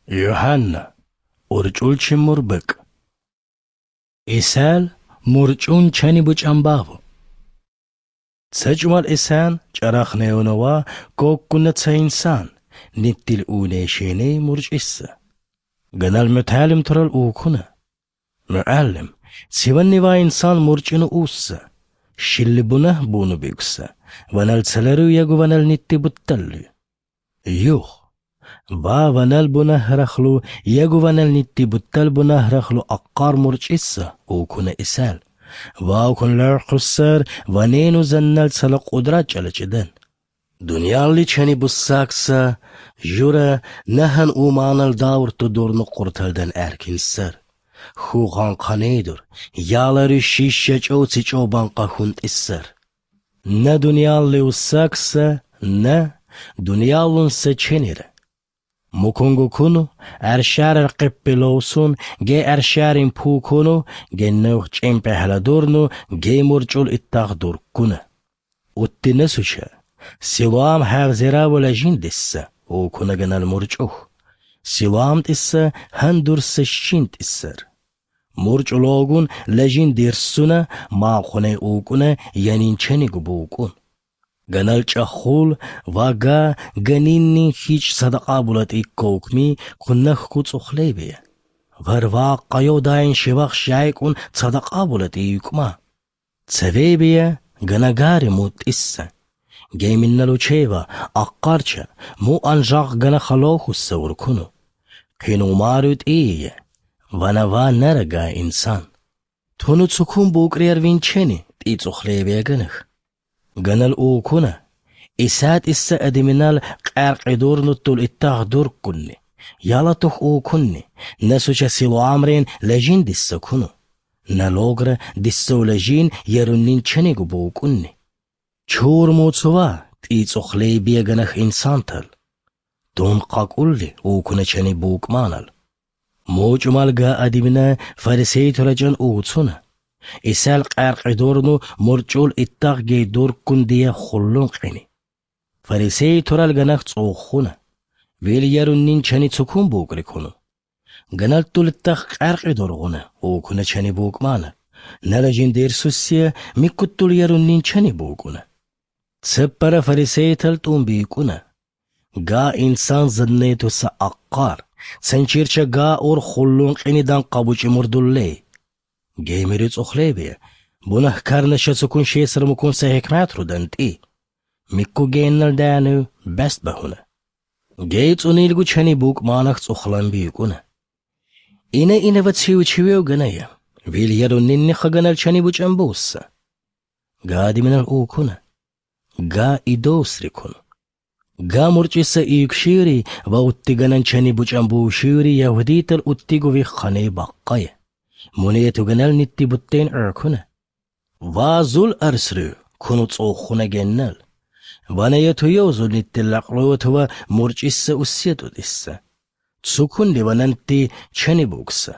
Юханна, урчӀулчи мурбекӀ. Исал мурчӀун чани бучӀамбаву. ЦечӀумал исан чӀарахнеунова коккуна ца инсан, ниттил унешене мурчӀисса. Ганал муталим турал укуна. Муаллим, сиваннива инсан мурчӀину усса. Шилли бунах буну бигса. Ванал целеру ягу ванал нитти бутталлю. Юх. Ва ванал бунахрахлу, ягу ванал нитти буттал бунахрахлу аққар мурчӀисса укуна исал. Ва укун лархуссар ванену заннал цала қудрат чӀалачӀидан. Дунъялли чани буссакса, жура нахан уманал даурту дурну қурталдан әркинсар. Хуған қанейдур, ялары шишша чӀоци чӀобанқа хунтӀиссар. На дунъялли уссакса, на дунъяллунса ченира. Мукунгу куну, аршарар қиппилоусун, ге аршарин пукуну, ге нух чӀимпӀехӀладурну, ге мурчӀул иттах дурккуна. Уттинасуча, Силуам хӀавзираву лажин дисса, укуна ганал мурчӀух. Силуам тӀисса хӀандурса щин тӀиссар. МурчӀулогун лажин дирссуна, махъуне укӀуна янин ченигу букӀун. Ганал чӀаххул ва га ганинни хич садакъа булатӀиккоукми куннахку цӀухлебия. Варвааққайо дайн шивах шайкӀун цадакъа булатӀийкӀма. Цевебия ганагари мутӀисса. Геминналучева аққарча му анжағ гана халохусса уркуну. Қинумару тӀие ванава нарага инсан. Туну цукун букӀриар винчени тӀи цӀухлебия ганах. Ганал укуна исат исса адиминал къаркъидурнуттул иттах дурккунни. Ялатух укунни насуча силуамрен лажин дисса куну. Налогра диссо лажин яруннин ченигу букӀунни. Чур муцува тӀи цӀухлебия ганах инсантал. Дун къакӀулли укуна чани букӀманал. МучӀумал га адимина фарисейтурачӀан уцуна. Исал къаркъидурну мурчӀул иттах ге дурккун дия хуллун къини. Фарисейтурал ганах цӀуххуна. Вил яруннин чани цукун букӀрикуну. Ганал тул иттах къаркъидургъуна укуна чани букӀмана. Налажин дерсуссия миккуттул яруннин чани букӀуна. Цеппара фарисейтал тӀун бикӀуна. Га инсан заннейтуса аққар. Ценчирча га ур хуллун къинидан къабучӀи мурдуллей. Гемири цӀухлебия. Бунахкарна цукун шесар мукун са хикмат рудан тӀи. Микку геннал дану бәст бахуна. Гей цӀунилгу чани букӀманах цӀухлан бикӀуна. Ина инава циу чивев ганая. Вил яруннинни хаганал чани бучӀан бусса. Га диминал укуна. Га идосрикуну. Га мурчӀиса ийкшири ва уттиганан чани бучӀан бушири яхудитал уттигу виххане баққая. Мунету ганал нитти буттен эркуна. Ва зул арсрю куну цӀуххуна геннал. Ванаяту йозу ниттиллақлуутува мурчӀисса уссиятӀутӀисса. Цукунни ванантти чани букса.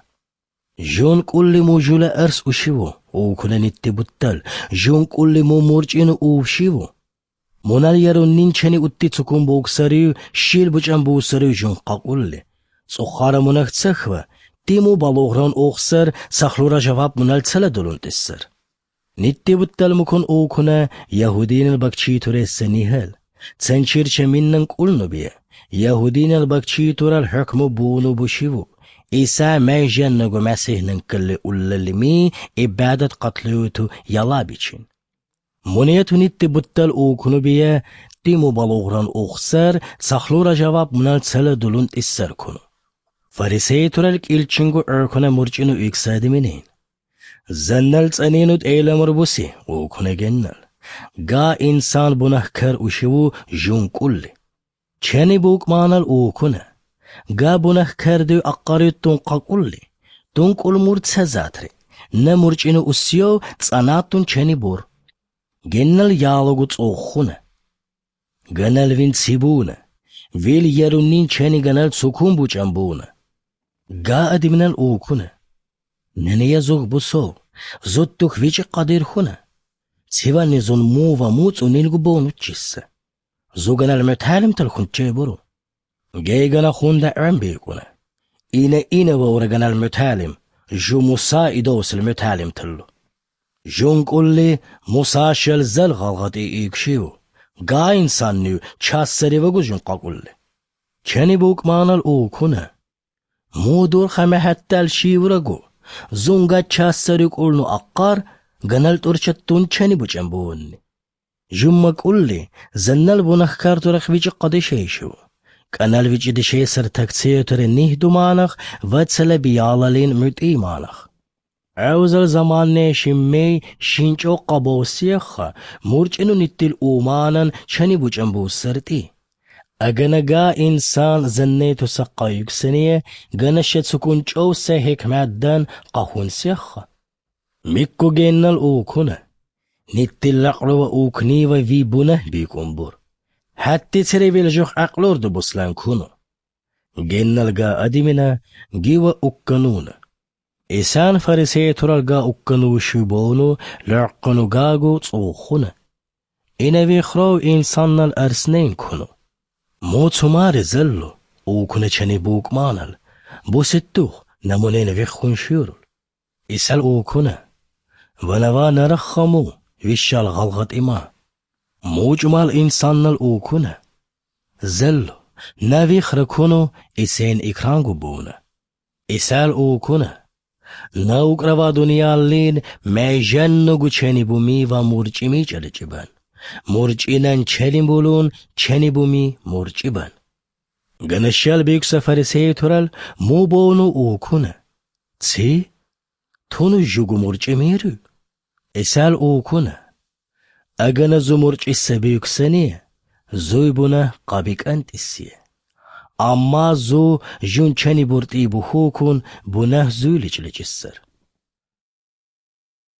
Жун кӀулли мужула арс ушиву, укуна нитти буттал. Жун кӀулли му мурчӀину увшиву. Мунал яруннин чани утти цукун буксарив, шил бучӀан бусарив жун къакӀулли. ЦӀуххара мунах цахва, тиму балугъран ухсар, сахлура жаваб мунал цала дулунтӀиссар. Нитти буттал мукун укуна яхудинал бакчитуресса нихал. Ценчирча миннан кӀулнубия. Яхудинал бакчитурал хӀукму буну бушиву. Иса майжаннагу Масихнан калли уллалими ибадат къатлуюту ялабичин. Мунету нитти буттал укунубия тиму балугъран ухсар, сахлура жаваб мунал цала дулунтӀиссар куну. Фарисейтурал кӀилчингу эркуна мурчӀину иксадиминин. Заннал цӀанинут эламур буси укуна геннал. Га инсан бунахкар ушиву жун кӀулли. Чани букӀманал укуна. Га бунахкар дю аққарют тун къакӀулли. Тун кӀул мур ца затри. На мурчӀину уссиё цӀанаттун чани бур. Геннал ялугу цӀуххуна. Ганал вин цибуна. Вил яруннин чани ганал цукун бучӀан буна. Га адиминал укуна. Нания зуг бусо, зуттух вичӀи къадирхуна. Цивани зун мува му цӀунилгу бонуччисса. Зуганал муталимтал хунччебуру. Гейгана хунда гӀембикӀуна. إنا إنا وورغنا المتالم جو موسى إدوس المتالم تلو. جون قولي موسى شلزل غلغتي إيكشيو. غا إنسان نيو چاسري وگو جون قاقولي. چني بوك مانال أوكونا. مودور خمه حتى الشيورغو. زونغا چاسري قولنو أقار غنال تورچتون چني بوچن بوني. جمّا قولي زنال بونخ كارتورخ ويچ قدشيشو. كانال ويچ دشيسر تكسيتر نيه دومانخ وتسل بيالالين متيمانخ. عوزل زمان شمي شينچو قبوسيخ مورچنو نتل أومانن چني بوچن بوسرتي. أغنغا إنسان زنيتو سقا يكسنية غنشت سكون چو سهك مادن قهون سيخ. ميكو جنال أوكونا. نتل لقلو أوكني وفي بونه بيكون حتى تريبيل جوخ أقلور دو بسلان كونو. جنال غا أدمنا جيوا أكنونا. إسان فرسي ترال غا أكنو شبونو لعقنو غاغو تصوخونا. إنوي خرو إنسان الأرسنين كونو. مو تمار زلو أوكنا چني بوك مانال. بوستوخ نمونين ويخون شيرول. إسال أوكنا. ونوا نرخمو ويشال غلغت إما. موجمال إنسان الأوكنا. زلو نوي خركونو إسين إكرانغو بونا. إسال أوكنا. نوكروا دنيا ميجنو چني بومي و مورچمي چلچبن. مورچینن چني بولون چني بومي مورچبن. گنشل بيك سفر تورل مو بونو أوكنا. تسي تونو جوگو مورچميرو. إسال أوكنا. أغنى زمرچ السبيك سنية زويبنا قابك أنت السية. أما زو جون چني برتي بخوكون بنه زولج لجسر.